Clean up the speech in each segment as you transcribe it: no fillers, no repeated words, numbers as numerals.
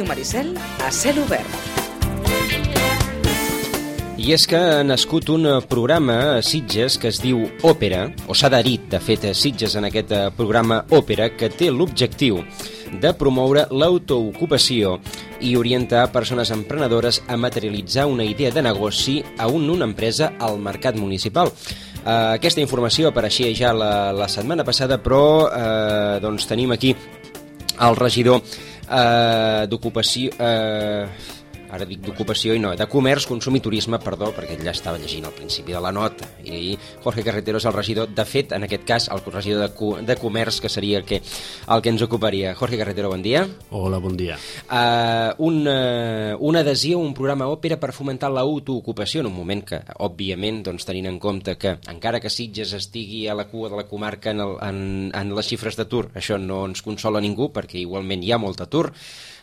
Ràdio Maricel a cel obert. I és que ha nascut un programa a Sitges que es diu Òpera, o s'ha adherit, de fet, a Sitges en aquest programa Òpera, que té l'objectiu de promoure l'autoocupació i orientar persones emprenedores a materialitzar una idea de negoci a una empresa al mercat municipal. Aquesta informació apareixia ja la setmana passada, però doncs tenim aquí el regidor d'Ocupació... Ara dic d'Ocupació i no, de Comerç, Consum i Turisme, perdó, perquè ja estava llegint al principi de la nota, i Jorge Carretero és el regidor, de fet, en aquest cas, el regidor de Comerç, que seria el que ens ocuparia. Jorge Carretero, bon dia. Hola, bon dia. Una adhesió, un programa Òpera per fomentar l'autoocupació, en un moment que, òbviament, doncs, tenint en compte que, encara que Sitges estigui a la cua de la comarca en les xifres d'atur, això no ens consola ningú, perquè igualment hi ha molt atur,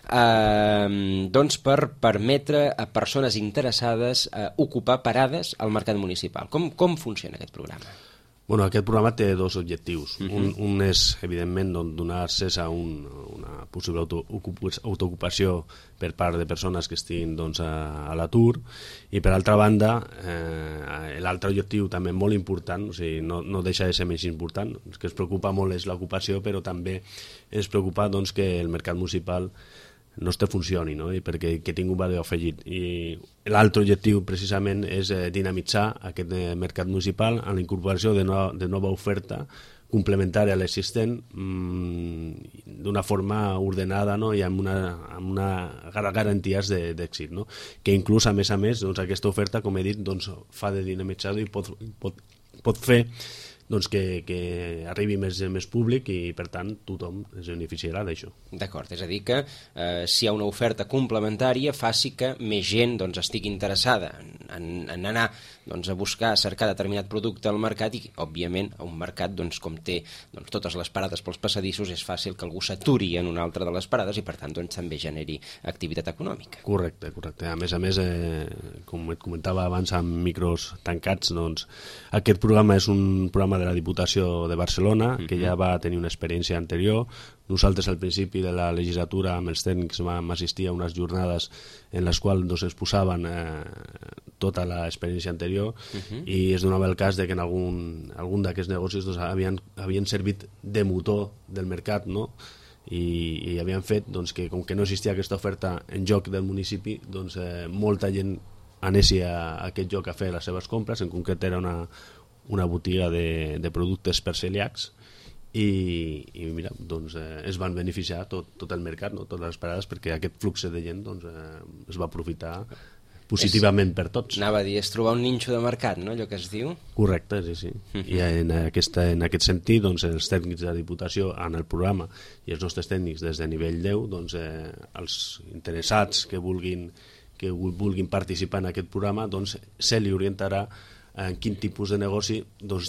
doncs per permetre a persones interessades ocupar parades al mercat municipal. Com funciona aquest programa? Bueno, aquest programa té dos objectius. Un és, evidentment, donar accés a una possible autoocupació per part de persones que estiguin a l'atur, i per altra banda, l'altre objectiu també molt important, o sigui, no deixa de ser menys important, el que es preocupa molt és l'ocupació, però també es preocupa que el mercat municipal no funcioni, no? I perquè tingui un valor afegit. I l'altre objectiu precisament és dinamitzar aquest mercat municipal amb la incorporació de nova oferta complementària a l'existent d'una forma ordenada, no? I amb una garanties d'èxit, no? Que inclús a més, aquesta oferta, com he dit, fa de dinamitzador i pot fer que arribi més públic, i per tant tothom es beneficiarà d'això. D'acord, és a dir que si hi ha una oferta complementària faci que més gent estigui interessada en anar a buscar, a cercar determinat producte al mercat, i òbviament a un mercat com té totes les parades pels passadissos, és fàcil que algú s'aturi en una altra de les parades i per tant també generi activitat econòmica. Correcte. A més, com et comentava abans amb micros tancats, aquest programa és un programa de la Diputació de Barcelona, que ja va tenir una experiència anterior. Nosaltres al principi de la legislatura amb els tècnics vam assistir a unes jornades en les quals exposaven tota l'experiència anterior, i es donava el cas que en algun d'aquests negocis havien servit de motor del mercat, no? I havien fet que, com que no existia aquesta oferta en joc del municipi, molta gent anessi a aquest lloc a fer les seves compres. En concret era una botiga de productes per celíacs, i mira, es van beneficiar tot el mercat, no? Totes les parades, perquè aquest flux de gent es va aprofitar positivament per tots. Anava a dir, és trobar un ninxo de mercat, no? Allò que es diu. Correcte, sí. I en aquest sentit, els tècnics de la Diputació en el programa i els nostres tècnics des de nivell 10, els interessats que vulguin participar en aquest programa, se li orientarà en quin tipus de negoci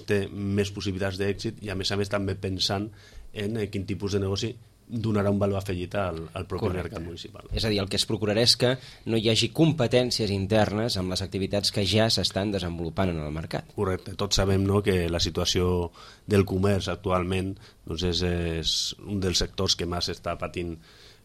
té més possibilitats d'èxit, i a més també pensant en quin tipus de negoci donarà un valor afegit al propi mercat municipal. És a dir, el que es procurarà és que no hi hagi competències internes amb les activitats que ja s'estan desenvolupant en el mercat. Correcte. Tots sabem que la situació del comerç actualment és un dels sectors que més està patint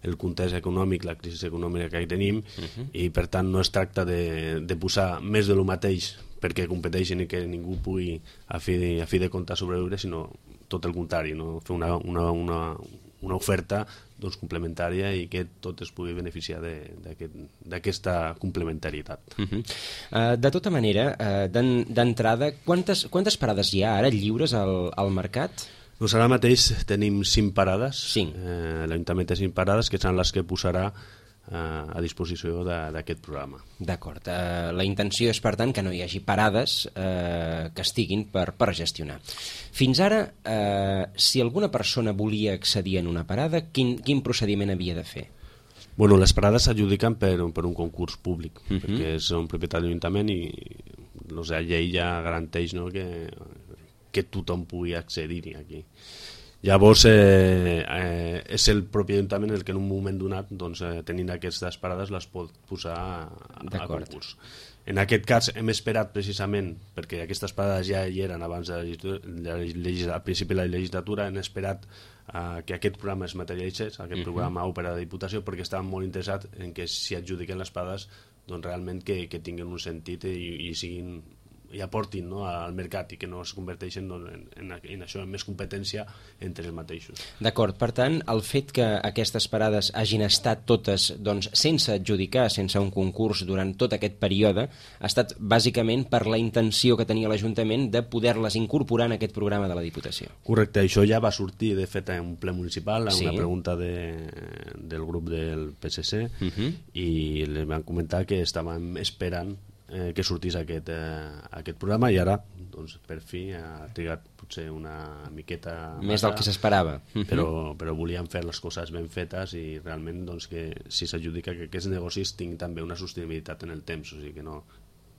el context econòmic, la crisi econòmica que hi tenim, i per tant no es tracta de posar més de lo mateix perquè competeixin i que ningú pugui a fi de compte sobreviure, sinó tot el contrari, no? Fer una oferta complementària i que tot es pugui beneficiar d'aquesta complementarietat. De tota manera, d'entrada, quantes parades hi ha ara lliures al mercat? Ara mateix tenim 5 parades. 5. L'Ajuntament té 5 parades, que seran les que posarà a disposició d'aquest programa. D'acord. La intenció és, per tant, que no hi hagi parades que estiguin per gestionar. Fins ara, si alguna persona volia accedir en una parada, quin procediment havia de fer? Bueno, les parades s'adjudiquen per un concurs públic, perquè és un propietat de l'Ajuntament, i la llei ja garanteix, no, que tothom pugui accedir-hi aquí. Llavors és el propi Ajuntament el que en un moment donat, tenint aquestes parades, les pot posar a concurs. En aquest cas hem esperat precisament, perquè aquestes parades ja hi eren abans al principi de la legislatura, hem esperat que aquest programa es materialitzés, aquest programa Òpera de Diputació, perquè estàvem molt interessats en que si adjudiquen les parades doncs realment que tinguin un sentit i siguin i aportin, no, al mercat i que no es converteixen en això, en més competència entre els mateixos. D'acord, per tant, el fet que aquestes parades hagin estat totes doncs, sense adjudicar, sense un concurs durant tot aquest període, ha estat bàsicament per la intenció que tenia l'Ajuntament de poder-les incorporar en aquest programa de la Diputació. Correcte, això ja va sortir, de fet, en un ple municipal, en una pregunta del grup del PSC, i les van comentar que estàvem esperant que sortís aquest programa, i ara doncs, per fi ha trigat potser una miqueta més del que s'esperava, però volíem fer les coses ben fetes i realment doncs, que si s'adjudica que aquests negocis tinguin també una sostenibilitat en el temps, o sigui que no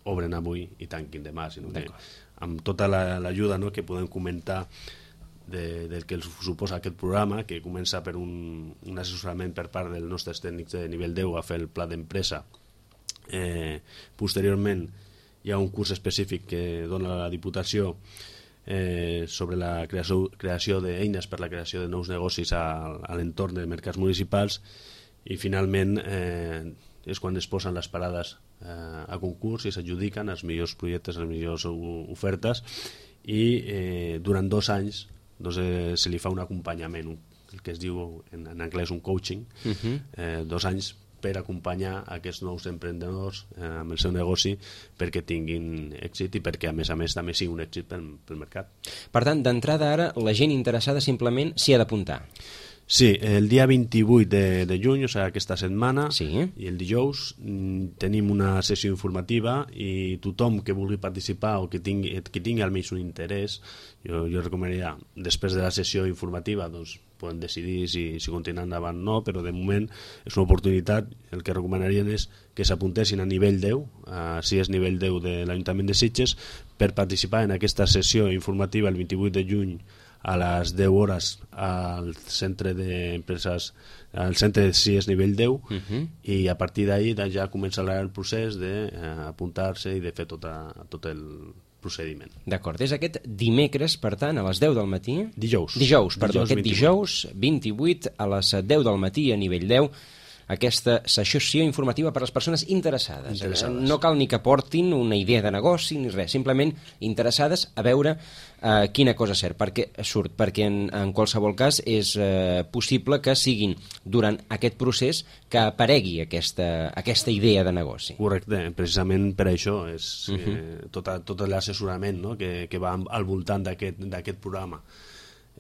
obren avui i tanquin demà, sinó que amb tota l'ajuda, no, que podem comentar del que suposa aquest programa, que comença per un assessorament per part dels nostres tècnics de nivell 10 a fer el pla d'empresa. Posteriorment hi ha un curs específic que dona la Diputació sobre la creació d'eines per la creació de nous negocis a l'entorn de mercats municipals, i finalment és quan es posen les parades a concurs i s'adjudiquen els millors projectes, les millors ofertes, i durant 2 anys doncs, se li fa un acompanyament, el que es diu en anglès un coaching, 2 anys per acompanyar aquests nous emprenedors amb el seu negoci perquè tinguin èxit i perquè a més també sigui un èxit pel mercat. Per tant, d'entrada ara, la gent interessada simplement s'hi ha d'apuntar. Sí, el dia 28 de juny, o sigui, aquesta setmana, i el dijous tenim una sessió informativa, i tothom que vulgui participar o que tingui almenys un interès, jo recomanaria, després de la sessió informativa, doncs poden decidir si continuen endavant o no, però de moment és una oportunitat. El que recomanarien és que s'apuntessin a nivell 10, si és nivell 10 de l'Ajuntament de Sitges, per participar en aquesta sessió informativa el 28 de juny a les 10 hores al centre d'empreses, al centre de CIES nivell 10, i a partir d'ahir ja començarà el procés d'apuntar-se i de fer tot el procediment. D'acord, és aquest dimecres, per tant, a les 10 del matí? Dijous, aquest dijous 28 a les 10 del matí a nivell 10, aquesta sessió informativa per a les persones interessades. No cal ni que portin una idea de negoci ni res, simplement interessades a veure quina cosa surt, perquè en qualsevol cas és possible que siguin durant aquest procés que aparegui aquesta idea de negoci. Correcte, precisament per això és tot l'assessorament, no?, que va al voltant d'aquest programa.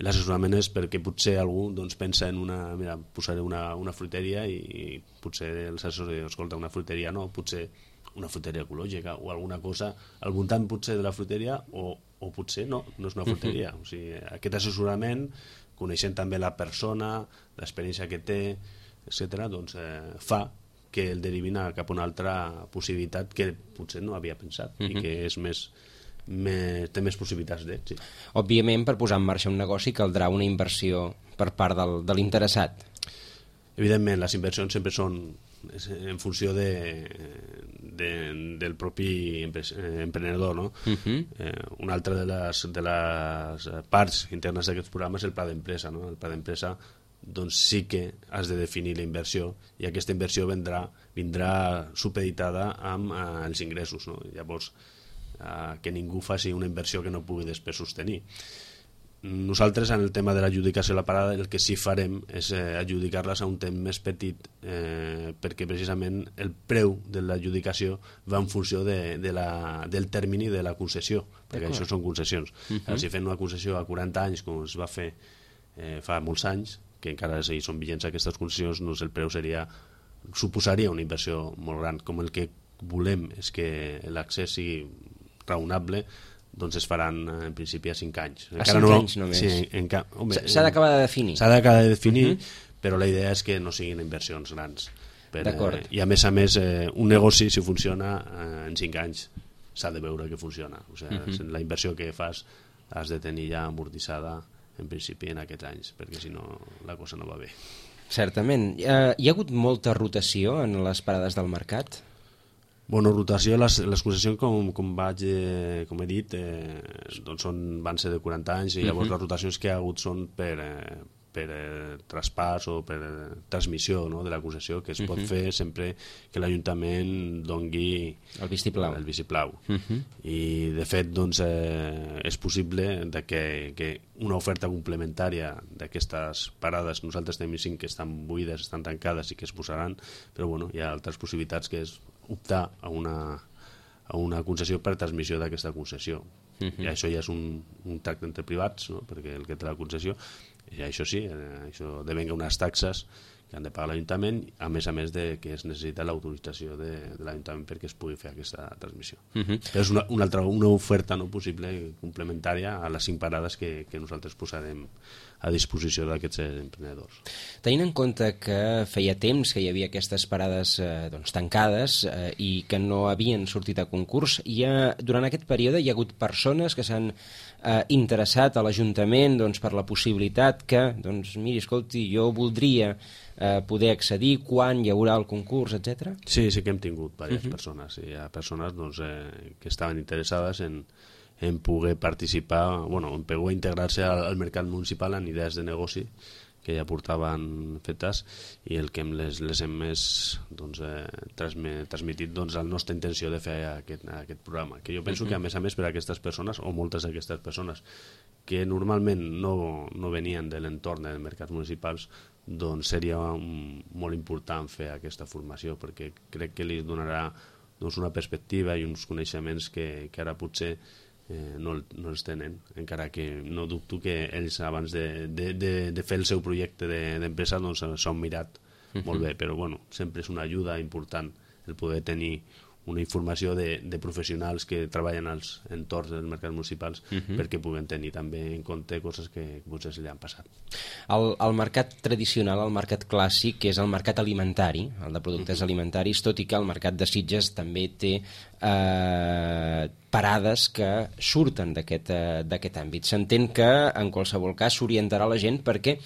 L'assessorament és perquè potser algú doncs, pensa en mira, posaré una fruiteria, i potser els assessors diuen, escolta, una fruiteria no, potser una fruiteria ecològica o alguna cosa al voltant potser de la fruiteria, o potser no és una fruiteria. O sigui, aquest assessorament, coneixent també la persona, l'experiència que té, etc., doncs, fa que el derivin cap a una altra possibilitat que potser no havia pensat i que és té més possibilitats d'èxit. Òbviament, per posar en marxa un negoci caldrà una inversió per part de l'interessat. Evidentment, les inversions sempre són en funció del propi emprenedor, no? Una altra de les parts internes d'aquests programes és el pla d'empresa, no? El pla d'empresa doncs sí que has de definir la inversió, i aquesta inversió vindrà supeditada amb els ingressos, no? Llavors, que ningú faci una inversió que no pugui després sostenir. Nosaltres, en el tema de l'adjudicació de la parada, el que sí farem és adjudicar-les a un temps més petit, perquè precisament el preu de l'adjudicació va en funció del termini de la concessió, perquè això són concessions. Si fem una concessió a 40 anys, com es va fer fa molts anys, que encara són vigents aquestes concessions, doncs el preu suposaria una inversió molt gran. Com el que volem és que l'accés sigui raonable, doncs es faran en principi a 5 anys. A 5 anys només? Sí, s'ha d'acabar de definir. S'ha d'acabar de definir, però la idea és que no siguin inversions grans. D'acord. I a més, un negoci, si funciona, en 5 anys s'ha de veure que funciona. O sigui, la inversió que fas has de tenir ja amortitzada en principi en aquests anys, perquè si no la cosa no va bé. Certament. Hi ha hagut molta rotació en les parades del mercat? Bueno, rotació, les concessions, com he dit, doncs van ser de 40 anys, i llavors les rotacions que hi ha hagut són per traspàs o per transmissió, no?, de la concessió, que es pot fer sempre que l'Ajuntament dongui el vistiplau. I de fet doncs, és possible que una oferta complementària d'aquestes parades, nosaltres tenim 5 que estan buides, estan tancades i que es posaran, però bueno, hi ha altres possibilitats, que és optar a una concessió per transmissió d'aquesta concessió. I això ja és un tracte entre privats, no?, perquè el que té la concessió, i això sí, això devenga unes taxes que han de pagar l'Ajuntament, a més de que es necessita l'autorització de l'Ajuntament perquè es pugui fer aquesta transmissió. Però és una oferta no possible complementària a les 5 parades que nosaltres posarem a disposició d'aquests emprenedors. Tenint en compte que feia temps que hi havia aquestes parades tancades i que no havien sortit a concurs, durant aquest període hi ha hagut persones que s'han interessat a l'Ajuntament per la possibilitat que, miri, escolti, jo voldria poder accedir, quan hi haurà el concurs, etc. Sí que hem tingut diverses persones. Hi ha persones que estaven interessades en poder participar, en poder integrar-se al mercat municipal en idees de negoci que ja portaven fetes, i el que les hem transmitit la nostra intenció de fer aquest programa, que jo penso que a més per a aquestes persones, o moltes d'aquestes persones que normalment no venien de l'entorn dels mercats municipals, doncs seria molt important fer aquesta formació, perquè crec que li donarà una perspectiva i uns coneixements que ara potser no els tenen, encara que no dubto que ells abans de fer el seu projecte d'empresa s'ho han mirat molt bé, però sempre és una ajuda important el poder tenir una informació de professionals que treballen als entorns dels mercats municipals, perquè puguen tenir també en compte coses que potser se li han passat. El mercat tradicional, el mercat clàssic, que és el mercat alimentari, el de productes alimentaris, tot i que el mercat de Sitges també té parades que surten d'aquest àmbit. S'entén que en qualsevol cas s'orientarà la gent perquè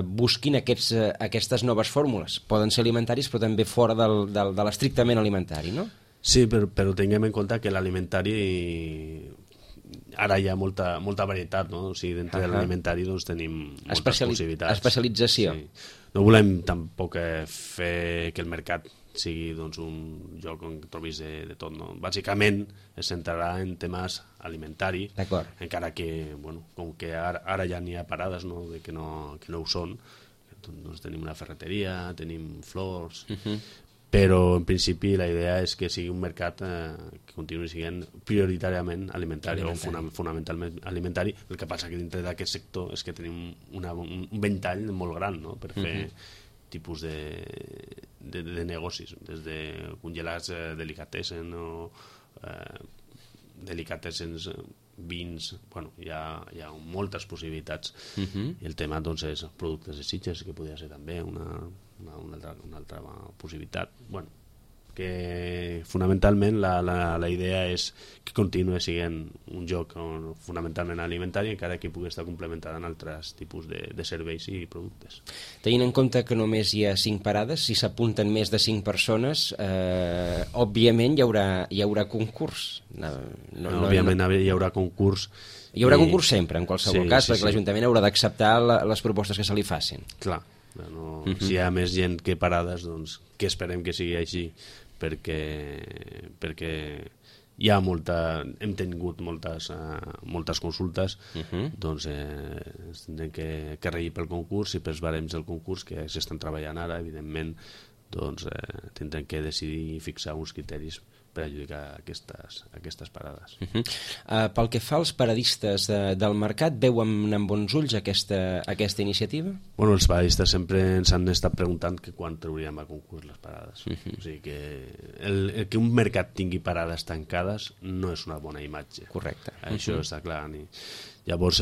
busquin aquestes noves fórmules. Poden ser alimentaris però també fora de l'estrictament alimentari, no? Sí, però tinguem en compte que l'alimentari ara hi ha molta varietat, no? O sigui, dintre de l'alimentari tenim moltes possibilitats. Especialització. Sí. No volem tampoc fer que el mercat sigui un lloc on trobis de tot, no? Bàsicament es centrarà en temes alimentaris, encara que, com que ara ja n'hi ha parades que no ho són, doncs tenim una ferreteria, tenim flors, però en principi la idea és que sigui un mercat que continuï sent prioritàriament alimentari o fonamentalment alimentari. El que passa que dintre d'aquest sector és que tenim un ventall molt gran, no?, per fer tipus de negocis, des de congelats delicatessen o delicatessens, vins, hi ha moltes possibilitats, i el tema és productes de Sitges, que podria ser també una altra possibilitat. Que fonamentalment la idea és que continuï sent un lloc fonamentalment alimentari, encara que pugui estar complementada en altres tipus de serveis i productes. Tenint en compte que només hi ha 5 parades, si s'apunten més de 5 persones, òbviament hi haurà concurs. Òbviament hi haurà concurs. Hi haurà concurs sempre, en qualsevol cas, perquè l'Ajuntament haurà d'acceptar les propostes que se li facin. Clar. Si hi ha més gent que parades, doncs que esperem que sigui així, perquè hi ha hem tingut moltes consultes, doncs tindrem que regir pel concurs i pels barems del concurs que s'estan treballant ara, evidentment, doncs tindrem que decidir i fixar uns criteris per adjudicar aquestes parades. Pel que fa als paradistes del mercat, veuen amb bons ulls aquesta iniciativa? Els paradistes sempre ens han estat preguntant que quan trauríem a concurs les parades. O sigui que el que un mercat tingui parades tancades no és una bona imatge. Correcte. Això està clar. Llavors,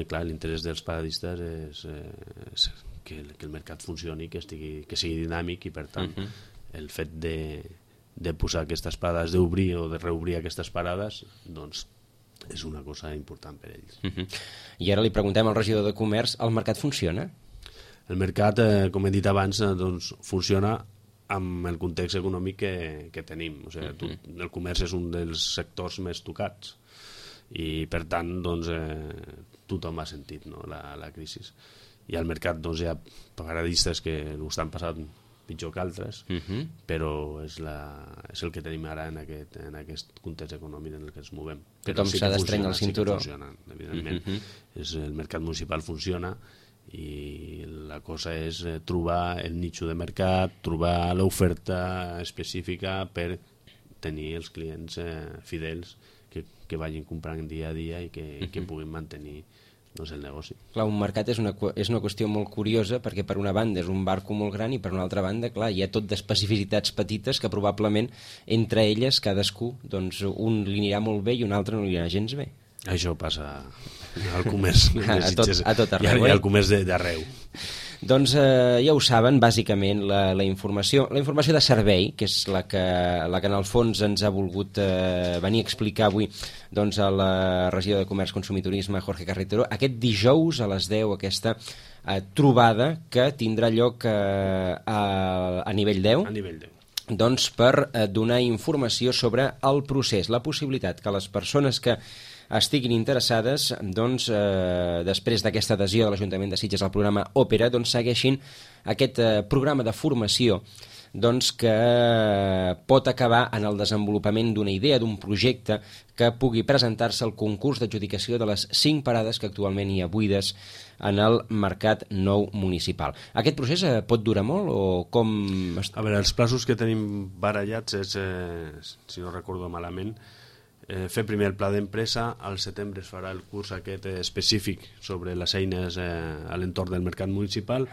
clar, l'interès dels paradistes és que el mercat funcioni, que sigui dinàmic, i per tant el fet de posar aquestes parades, d'obrir o de reobrir aquestes parades, doncs és una cosa important per ells. I ara li preguntem al regidor de Comerç, el mercat funciona? El mercat, com he dit abans, doncs funciona amb el context econòmic que tenim. O sigui, el comerç és un dels sectors més tocats i, per tant, doncs, tothom ha sentit, no, la crisi. I al mercat doncs, hi ha paradistes que ho estan passant pitjor que altres, però és el que tenim ara en aquest context econòmic en el que ens movem. Tothom s'ha d'estrenyar el cinturó. Sí que funciona, evidentment. El mercat municipal funciona i la cosa és trobar el nicho de mercat, trobar l'oferta específica per tenir els clients fidels que vagin comprant dia a dia i que puguin mantenir el negoci. Clar, un mercat és una qüestió molt curiosa perquè per una banda és un barco molt gran i per una altra banda, clar, hi ha tot d'especificitats petites que probablement entre elles cadascú, doncs un li anirà molt bé i un altre no li anirà gens bé. Això passa al comerç a tot arreu, i al comerç d'arreu. Doncs ja ho saben, bàsicament la informació de servei, que és la que en el fons ens ha volgut venir a explicar avui doncs, a la regió de Comerç, Consum i Turisme, Jorge Carretero, aquest dijous a les 10, aquesta trobada que tindrà lloc a nivell 10. A nivell 10. Doncs per donar informació sobre el procés, la possibilitat que les persones que estiguin interessades, doncs, després d'aquesta adhesió de l'Ajuntament de Sitges al programa Òpera, doncs, segueixin aquest programa de formació doncs, que pot acabar en el desenvolupament d'una idea, d'un projecte que pugui presentar-se al concurs d'adjudicació de les 5 parades que actualment hi ha buides en el mercat nou municipal. Aquest procés pot durar molt o com... A veure, els plaços que tenim barallats és, si no recordo malament, fer primer el pla d'empresa, al setembre es farà el curs aquest específic sobre les eines a l'entorn del mercat municipal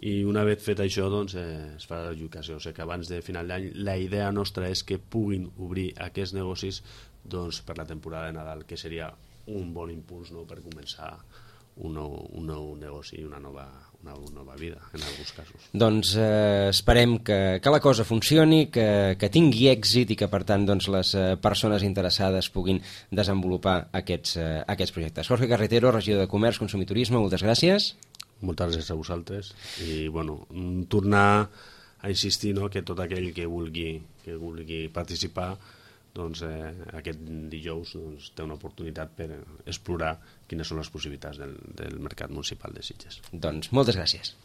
i una vegada fet això doncs, es farà l'adjudicació. O sigui que abans de final d'any la idea nostra és que puguin obrir aquests negocis doncs, per la temporada de Nadal, que seria un bon impuls, no?, per començar un nou negoci i una nova vida, en alguns casos. Doncs esperem que la cosa funcioni, que tingui èxit i que, per tant, doncs, les persones interessades puguin desenvolupar aquests projectes. Jorge Carretero, regidor de Comerç, Consum i Turisme, moltes gràcies. Moltes gràcies a vosaltres. I, bueno, tornar a insistir, no?, que tot aquell que vulgui participar doncs, aquest dijous doncs, té una oportunitat per explorar quines són les possibilitats del mercat municipal de Sitges. Doncs moltes gràcies.